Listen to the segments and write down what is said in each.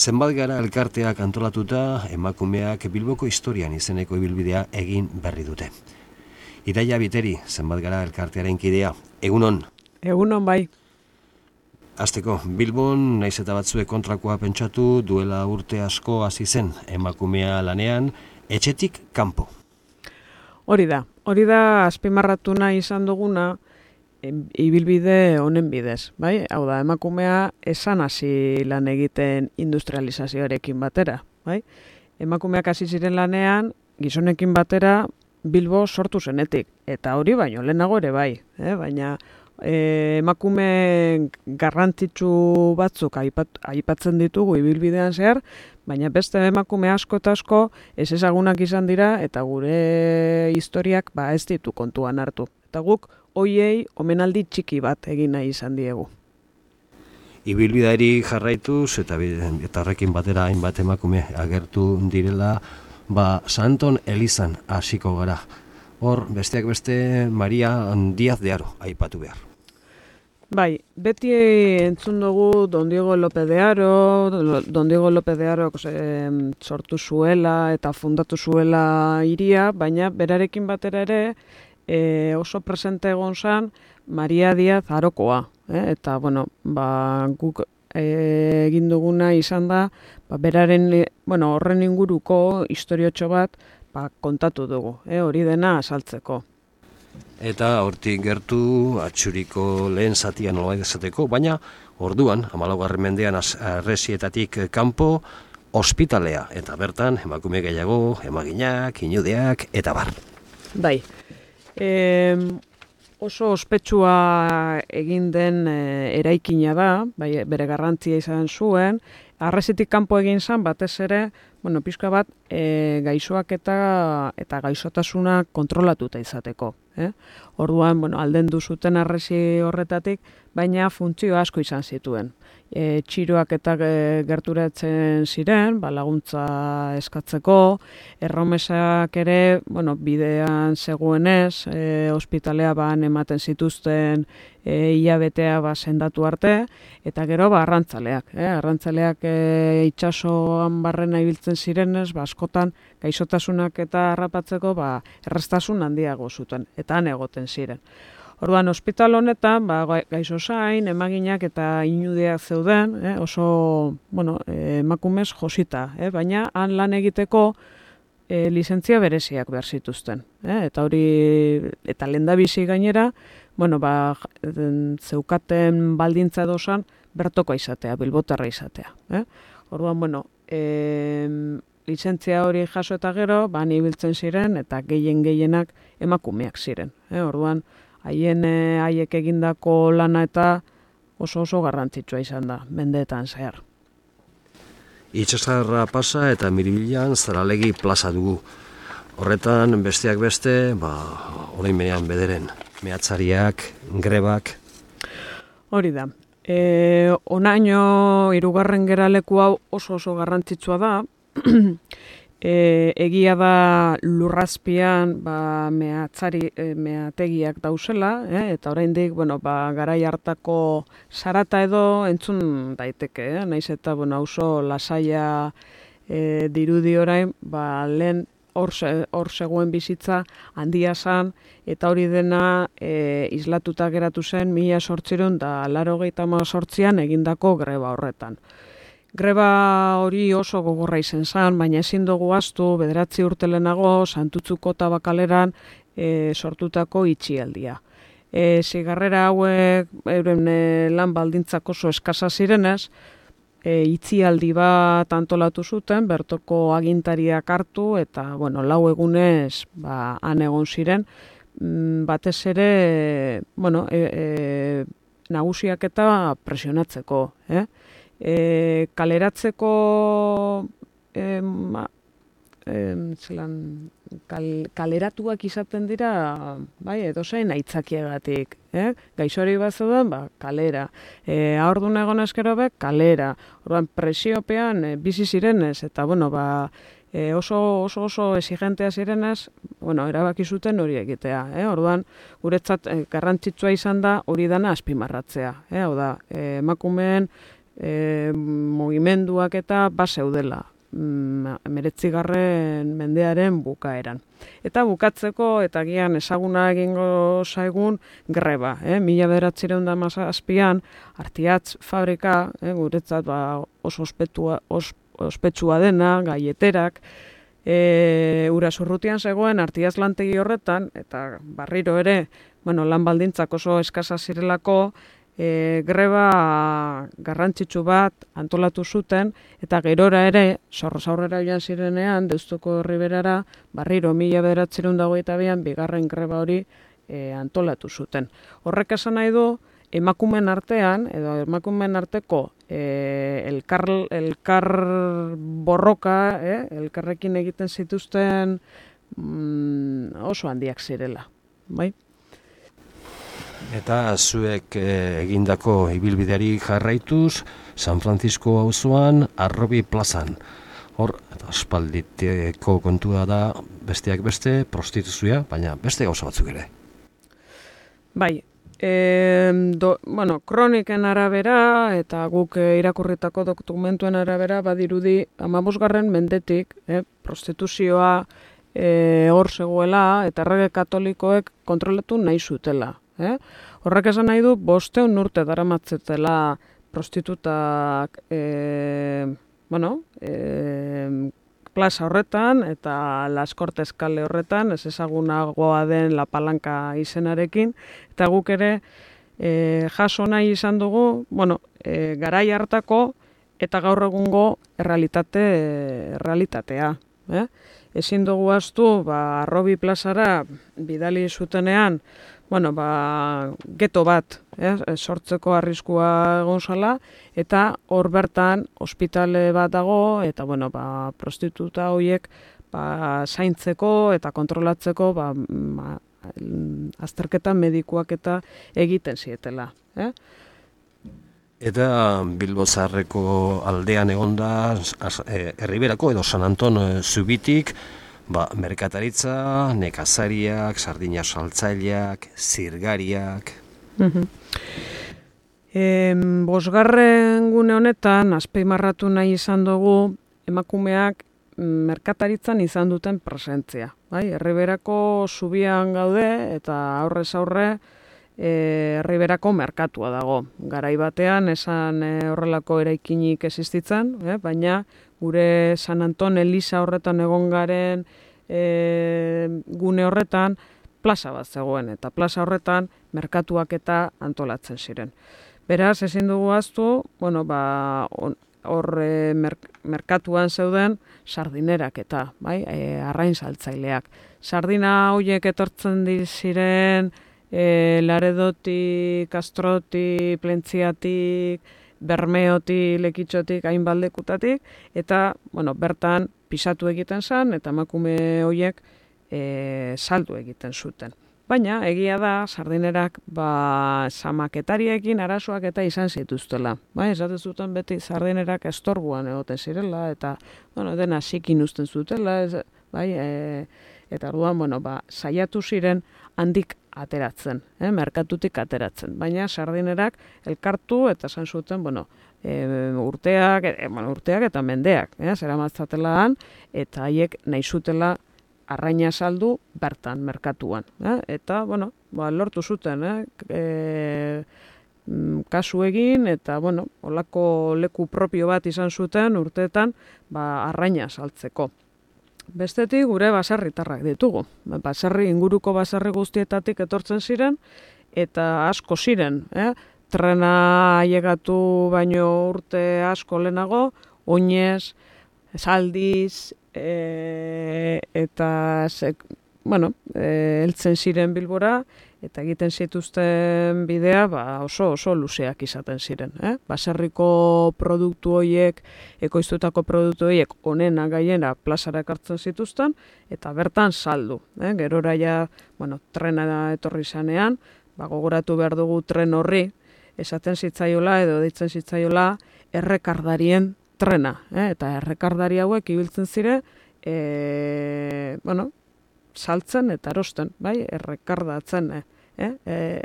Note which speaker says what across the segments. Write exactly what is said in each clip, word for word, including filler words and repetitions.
Speaker 1: Zenbat gara elkarteak antolatuta emakumeak Bilboko historian izeneko ibilbidea egin berri dute. Idaia Biteri, zenbat gara elkartearen kidea, egunon?
Speaker 2: Egunon bai.
Speaker 1: Hasteko, Bilbon, naiz eta batzuek kontrakoa pentsatu, duela urte asko hasi zen emakumea lanean, etxetik kanpo.
Speaker 2: Hori da, hori da azpimarratu nahi izan duguna, ibilbide honen bidez, bai? Hau da, emakumea esan hasi lan egiten industrializazioarekin batera, bai? Emakumeak hasi ziren lanean, gizonekin batera Bilbo sortu zenetik, eta hori baino lehenago ere bai, eh? Baina e, emakume garrantzitsu batzuk aipat, aipatzen ditugu ibilbidean zehar, baina beste emakume asko eta asko ez ezagunak izan dira eta gure historiak ba ez ditu kontuan hartu. Eta guk hoiei omenaldi txiki bat egin nahi izan diegu.
Speaker 1: Ibilbideari jarraituz eta, eta horrekin batera hainbat emakume agertu direla, ba Santon Elizan hasiko gara. Hor, besteak beste Maria Díaz de Haro aipatu behar.
Speaker 2: Bai, beti entzun dugu Don Diego López de Haro, Don Diego López de Haro eh, sortu zuela eta fundatu zuela hiria, baina berarekin batera ere E, oso presente egon zen Maria Díaz Harokoa, eh? Eta bueno, ba, guk e, egin duguna izan da, ba, beraren, bueno, horren inguruko historiotxo bat ba, kontatu dugu, eh? Hori dena azaltzeko.
Speaker 1: Eta hortik gertu atxuriko lehen zatia nolabait esateko, baina orduan, hamalaugarren mendean harresietatik kanpo, ospitalea, eta bertan emakume gehiago, emaginak, inudeak, eta bar.
Speaker 2: Bai. E, oso ospetsua egin den e, eraikina da, bai, bere garrantzia izan zuen, harresitik kanpo egin zen batez ere, bueno, pixka bat e, gaixoak eta eta gaixotasuna kontrolatuta izateko. Eh? Orduan, bueno, aldendu zuten harresi horretatik, baina funtzio asko izan zituen. E, txiroak eta gerturatzen ziren, ba, laguntza eskatzeko, erromesak ere, bueno, bidean zegoenez, e, ospitalea ban ematen zituzten e, hilabetea ba, sendatu arte, eta gero ba, arrantzaleak. Eh? Arrantzaleak e, itsasoan barrena ibiltzen zirenez, ba, askotan gaixotasunak eta harrapatzeko ba, errestasun handiago zuten, eta han egoten ziren. Orduan, ospital honetan, ba, gaixo zain, emaginak eta inudeak zeuden, eh, oso, bueno, emakumez josita, eh, baina han lan egiteko eh, lizentzia bereziak behar zituzten. Eh, eta hori, eta lehendabizi gainera, bueno, ba, zeukaten baldintza dozan, bertokoa izatea, bilbotarra izatea. Eh. Orduan, bueno, eh, lizentzia hori jaso eta gero, ba, ibiltzen ziren, eta gehien gehienak emakumeak ziren. Eh. Orduan, haien haiek egindako lana eta oso oso garrantzitsua izan da, mendeetan zehar.
Speaker 1: Itxasarra pasa eta Miribilan Zaralegi plaza dugu. Horretan besteak beste, ba, orain benean bederen, mehatzariak, grebak.
Speaker 2: Hori da. E, onaino hirugarren geraleku hau oso oso garrantzitsua da. E, egia da lurrazpian ba, mehatzari, e, mehategiak dauzela, eh? Eta oraindik bueno, ba, garai hartako zarata edo entzun daiteke, eh? Naiz eta bueno, oso lasaia e, dirudi orain, ba, lehen hor zegoen bizitza handia zen, eta hori dena e, islatuta geratu zen mila zortziehun eta laurogeita hemezortzian egindako greba horretan. Greba hori oso gogorra izan zen, baina ezin dugu ahaztu bederatzi urte lehenago Santutzuko Tabakaleran e, sortutako itxialdia. E, zigarrera hauek euren e, lan baldintzak oso eskasa zirenez, e, itxialdi bat antolatu zuten, bertoko agintariak hartu eta bueno, lau egunez ba, han egon ziren, batez ere bueno, e, e, nagusiak eta presionatzeko, eh? E, kaleratzeko e, ma, e, zelan, kal, kaleratuak izaten dira bai, edozein aitzakiagatik. Eh? Gaixori bat zeuden, ba, kalera. E, Ahordun egon eskero be, kalera. Orduan presiopean e, bizi zirenez, eta bueno, ba, e, oso, oso oso exigentea zirenez, bueno, erabaki zuten hori egitea. Eh? Orduan, guretzat e, garrantzitsua izan da hori dana azpimarratzea. Eh? Hau da, e, emakumeen E, mugimenduak eta baseudela hemeretzigarren mendearen bukaeran. Eta bukatzeko, eta gian ezaguna egingo zaigun, greba. Eh? Mila bederatziehun eta hamazazpian, Artiatz fabrika, eh, guretzat ba, oso ospetua, os, ospetsua dena, gaieterak, e, Urasurrutian zegoen Artiatz lantegi horretan, eta barriro ere, bueno, lan baldintzak oso eskasa zirelako, E, greba garrantzitsu bat antolatu zuten, eta gerora ere, zorroz aurrera joan zirenean, Deustuko Riberara, barriro mila bederatziehun eta hogeita bian, bigarren greba hori e, antolatu zuten. Horrek esan nahi du, emakumeen artean, edo emakumeen arteko e, elkar, elkar borroka, eh, elkarrekin egiten zituzten mm, oso handiak zirela, bai?
Speaker 1: Eta zuek e, egindako ibilbideari jarraituz, San Francisco auzoan, Arrobi plazan. Hor, eta aspalditeko kontua da, besteak beste, prostituzioa, baina beste gauza batzuk ere.
Speaker 2: Bai, e, do, bueno, kroniken arabera, eta guk e, irakurritako dokumentuen arabera, badirudi, hamabosgarren mendetik, eh, prostituzioa e, hor zegoela, eta errege katolikoek kontrolatu nahi zutela. Eh? Horrek esan nahi du, bosteun urte daramatzetela prostitutak e, bueno, e, plaza horretan eta Las Cortes kale horretan, ez ezagunagoa den La Palanca izenarekin, eta guk ere e, jaso nahi izan dugu, bueno, e, garai hartako eta gaur egungo errealitate, errealitatea. Eh? Ezin dugu ahaztu, ba, Arrobi plazara bidali zutenean, bueno, ba, geto bat, eh, sortzeko arriskua egon zala, eta hor bertan ospitale bat dago, eta bueno, ba, prostituta horiek ba, zaintzeko eta kontrolatzeko ba, ma, azterketa medikuak eta egiten zietela. Eh?
Speaker 1: Eta Bilbo Zaharreko aldean egonda, Erriberako edo San Anton Zubitik, ba, merkataritza, nekazariak, sardina saltzaileak, zirgariak.
Speaker 2: Mm-hmm. E, bosgarren gune honetan, azpimarratu nahi izan dugu, emakumeak merkataritzan izan duten presentzia. Bai? Erriberako zubian gaude eta aurrez aurre e, Erriberako merkatua dago. Garai batean esan e, horrelako eraikinik existitzen, eh? Baina gure San Anton Eliza horretan egon garen e, gune horretan plaza bat zegoen, eta plaza horretan merkatuak eta antolatzen ziren. Beraz, ezin dugu ahaztu, bueno, ba, hor e, merk, merkatuan zeuden sardinerak eta, bai, e, arrain saltzaileak. Sardina horiek etortzen ziren e, Laredotik, Kastrotik, Plentziatik, Bermeotik, Lekitxotik, hainbaldekutatik, eta bueno, bertan pisatu egiten zen, eta emakume horiek e, saldu egiten zuten. Baina, egia da, sardinerak ba, zamaketariekin arazoak eta izan zituztela. Ba, esaten zuten beti sardinerak estorbuan egoten zirela, eta bueno, dena zikin uzten zutela, ez, bai, e, eta orduan, bueno, ba, saiatu ziren handik ateratzen, eh, merkatutik ateratzen. Baina sardinerak elkartu eta esan zuten, bueno, e, urteak, e, bueno, urteak eta mendeak, eh, zeramatzatela han, eta haiek nahi zutela arraina saldu bertan, merkatuan. Eh? Eta, bueno, ba, lortu zuten, eh? E, kasu egin, eta, bueno, olako leku propio bat izan zuten urteetan, ba, arraina saltzeko. Bestetik gure baserritarrak ditugu. Baserri, inguruko baserri guztietatik etortzen ziren, eta asko ziren. Eh? Trena ailegatu baino urte asko lehenago, Oinez, Zaldiz, e, eta sek, bueno, e, heltzen ziren Bilbora, eta egiten zituzten bidea ba, oso oso luzeak izaten ziren. Eh? Baserriko produktu horiek, ekoiztutako produktu horiek onena gaiena plazara ekartzen zituzten, eta bertan saldu. Eh? Gerora ja, bueno, trena etorri zanean, ba, gogoratu behar dugu tren horri, esaten zitzaiola edo deitzen zitzaiola errekardarien trena. Eh? Eta errekardari hauek ibiltzen zire, e, bueno, saltzen eta erosten, bai, errekardatzen, eh? Eh?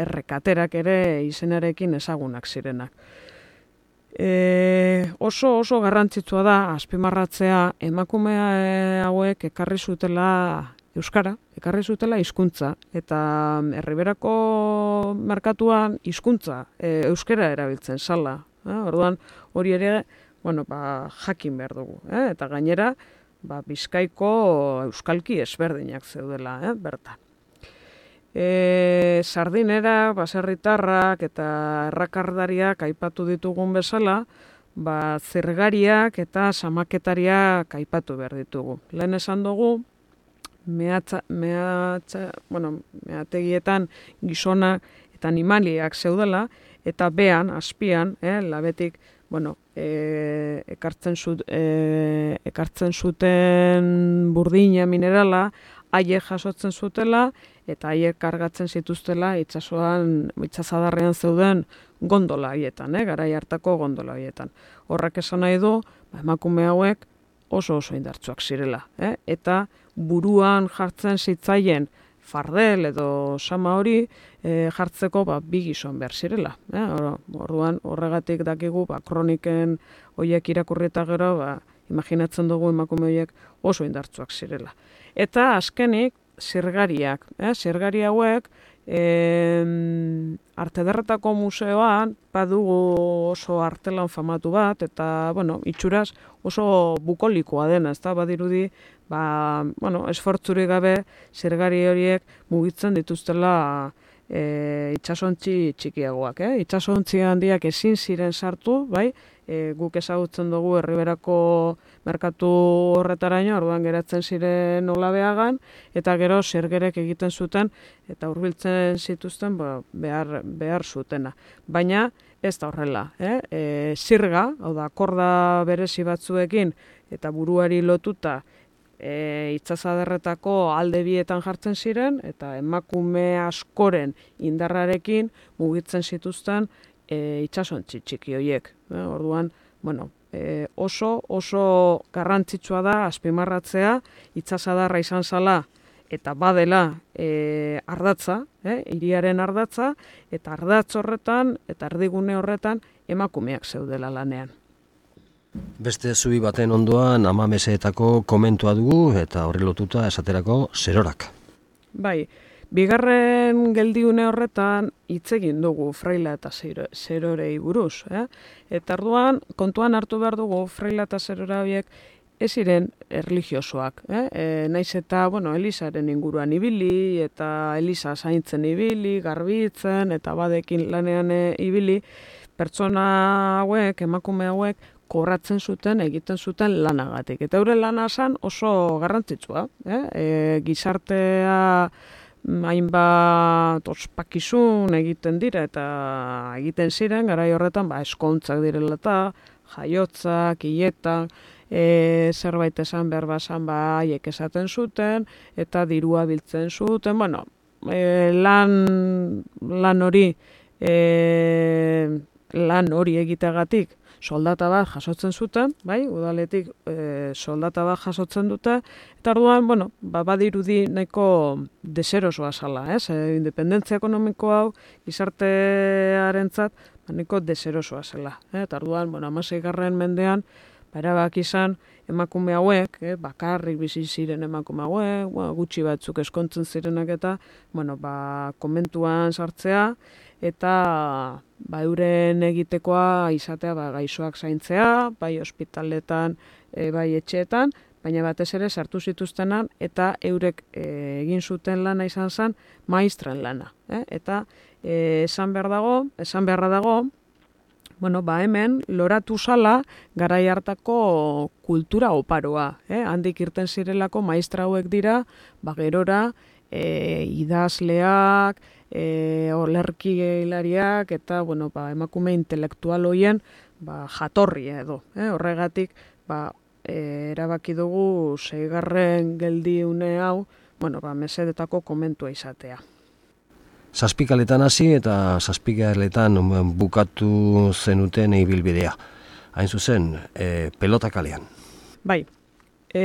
Speaker 2: Errekaterak ere izenarekin ezagunak zirenak. E, oso oso garrantzitsua da azpimarratzea emakume hauek ekarri zutela euskara, ekarri zutela hizkuntza eta Erriberako merkatuan hizkuntza e, euskara erabiltzen zala. Eh? Orduan hori ere, bueno, ba, jakin behar dugu, eh? Eta gainera ba, Bizkaiko euskalki ezberdinak zeudela, eh? Bertan. E, sardinera, baserritarrak eta errakardariak aipatu ditugun bezala, ba, zergariak eta samaketariak aipatu behar ditugu. Lehen esan dugu, mehatza, mehatza, bueno, mehategietan gizona eta animaliak zeudela, eta behan, azpian, eh, labetik, bueno, e, ekartzen, zut, e, ekartzen zuten burdina minerala, haiek jasotzen zutela, eta haiek kargatzen zituztela itsasoan, itsasadarrean zeuden gondola haietan, eh, garai hartako gondola haietan. Horrek esan nahi du, ba, emakume hauek oso oso indartsuak zirela, eh? Eta buruan jartzen zitzaien fardel edo sama hori e, jartzeko ba, bi gizon behar zirela. Eh? Orduan horregatik dakigu ba, kroniken horiek irakurri eta gero, ba, imaginatzen dugu emakume horiek oso indartsuak zirela. Eta azkenik, zirgariak. Eh? Zirgari hauek, e, Arte Ederretako museoan badugu oso artelan famatu bat, eta, bueno, itxuraz oso bukolikoa dena, ez da, badirudi, ba, bueno, esfortzurik gabe zirgari horiek mugitzen dituztela e, itsasontzi txikiagoak. Eh? Itsasontzi handiak ezin ziren sartu, bai, e, guk ezagutzen dugu Erriberako merkatu horretaraino, orduan geratzen ziren Olabeagan, eta gero zergerek egiten zuten, eta hurbiltzen zituzten ba, behar, behar zutena. Baina ez da horrela. Eh? E, zirga, hau da, korda berezi batzuekin, eta buruari lotuta, E, itsasadarretako alde bietan jartzen ziren, eta emakume askoren indarrarekin mugitzen zituzten e, itsasontzi txiki horiek. E, orduan, bueno, e, oso oso garrantzitsua da azpimarratzea itsasadarra izan zala eta badela e, ardatza, e, hiriaren ardatza, eta ardatz horretan eta erdigune horretan emakumeak zeudela lanean.
Speaker 1: Beste zubi baten ondoan amameseetako komentua dugu eta horri lotuta esaterako zerorak.
Speaker 2: Bai, bigarren geldiune horretan hitz egin dugu fraila eta zerorei buruz. Eh? Eta orduan kontuan hartu behar dugu fraila eta zerora horiek ez ziren erlijiosoak. Eh? E, naiz eta, bueno, Elizaren inguruan ibili, eta Eliza zaintzen ibili, garbitzen, eta badekin lanean ibili, pertsona hauek, emakume hauek, kobratzen zuten, egiten zuten lanagatik. Eta euren lana zen oso garrantzitsua. Eh? E, gizartea hainbat ospakizun egiten dira, eta egiten ziren, garai horretan, ba, eskontzak direla eta, jaiotzak, hiletak, e, zerbait esan behar bazan, ba, haiek esaten zuten, eta dirua biltzen zuten, bueno, e, lan, lan hori, e, lan hori egiteagatik, soldata bat jasotzen zuten, bai, udaletik e, soldata bat jasotzen dute, eta orduan, bueno, ba, badirudi nahiko deserosoa zala, ez? E, independentzia ekonomiko hau, gizartearentzat, ba, nahiko deserosoa zela. Eh? Eta orduan, bueno, hamaseigarren mendean, ba, erabak izan, emakume hauek, eh, bakarrik bizi ziren emakume hauek, bueno, gutxi batzuk eskontzen zirenak eta, bueno, ba, komentuan sartzea, eta ba, euren egitekoa izatea ba, gaixoak zaintzea, bai ospitaletan, e, bai etxeetan, baina batez ere sartu zituztenan, eta eurek e, egin zuten lana izan zen maistren lana. Eh? Eta e, esan behar dago, esan beharra dago, bueno, ba hemen loratu zala garai hartako kultura oparoa. Eh? Handik irten zirelako maistra hauek dira, ba gerora, e, idazleak, e, olerki hilariak eta bueno, ba, emakume intelektual hoien ba, jatorri edo. Eh? Horregatik ba, e, erabaki dugu seigarren geldiune hau bueno, ba, mesedetako komentua izatea.
Speaker 1: Zazpikaletan hasi eta zazpikaletan bukatu zenuten ibilbidea. Hain zuzen, e, pelota kalean.
Speaker 2: Bai, e,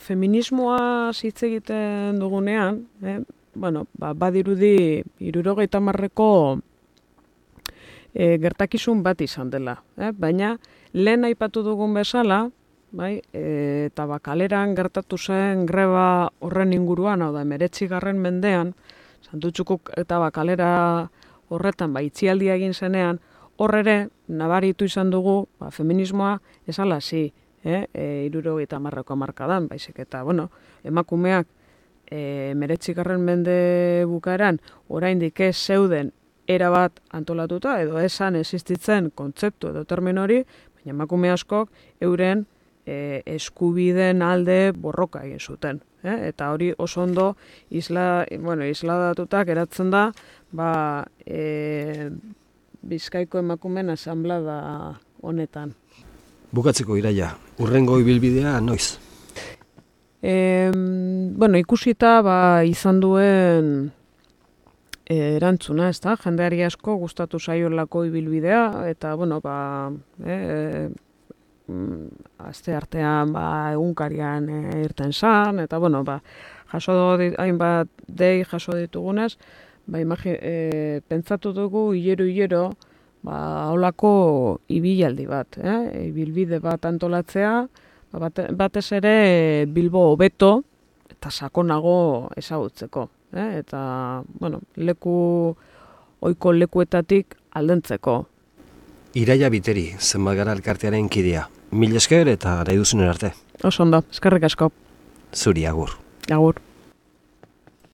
Speaker 2: feminismoa hitz egiten dugunean, eh, bueno, ba, badirudi hirurogeita hamarreko e, gertakizun bat izan dela. Eh? Baina, lehen aipatu dugun bezala, bai, e, eta ba, kaleran gertatu zen greba horren inguruan, hau da, emeretzigarren mendean, Santutxukuk eta ba, kalera horretan, ba, itxialdia egin zenean, hor ere, nabaritu izan dugu, ba, feminismoa esala zi, eh? e, irurogeita hamarreko hamarkadan, baizik eta, bueno, emakumeak e, emeretzigarren mende bukaeran, oraindik ez zeuden erabat antolatuta, edo esan existitzen kontzeptu edo termino hori, baina emakume askok euren e, eskubideen alde borroka egin zuten. Eh? Eta hori oso ondo isla, bueno, isladatutak eratzen da, ba, e, Bizkaiko emakumeen asanblada honetan.
Speaker 1: Bukatzeko Iraia, urrengo ibilbidea noiz?
Speaker 2: E, bueno, ikusita ba, izan duen e, erantzuna, ez da? Jendeari asko gustatu zaiolako ibilbidea, eta, bueno, ba, e, aste artean ba, egunkarian e, irten zan, eta, bueno, ba, jaso dit, hainbat dei jaso ditugunez, ba, imagi, e, pentsatu dugu hilero-hilero, ba, holako ibilaldi bat, eh? Ibilbide bat antolatzea, ba, bate, batez ere Bilbo hobeto eta sakonago ezagutzeko, eh? Eta, bueno, leku, ohiko lekuetatik aldentzeko.
Speaker 1: Iraia Biteri, Zenbat Gara elkartearen kidea. Mil esker eta nahi duzunen arte.
Speaker 2: Oso ondo, eskerrik asko.
Speaker 1: Zuri, agur.
Speaker 2: Agur.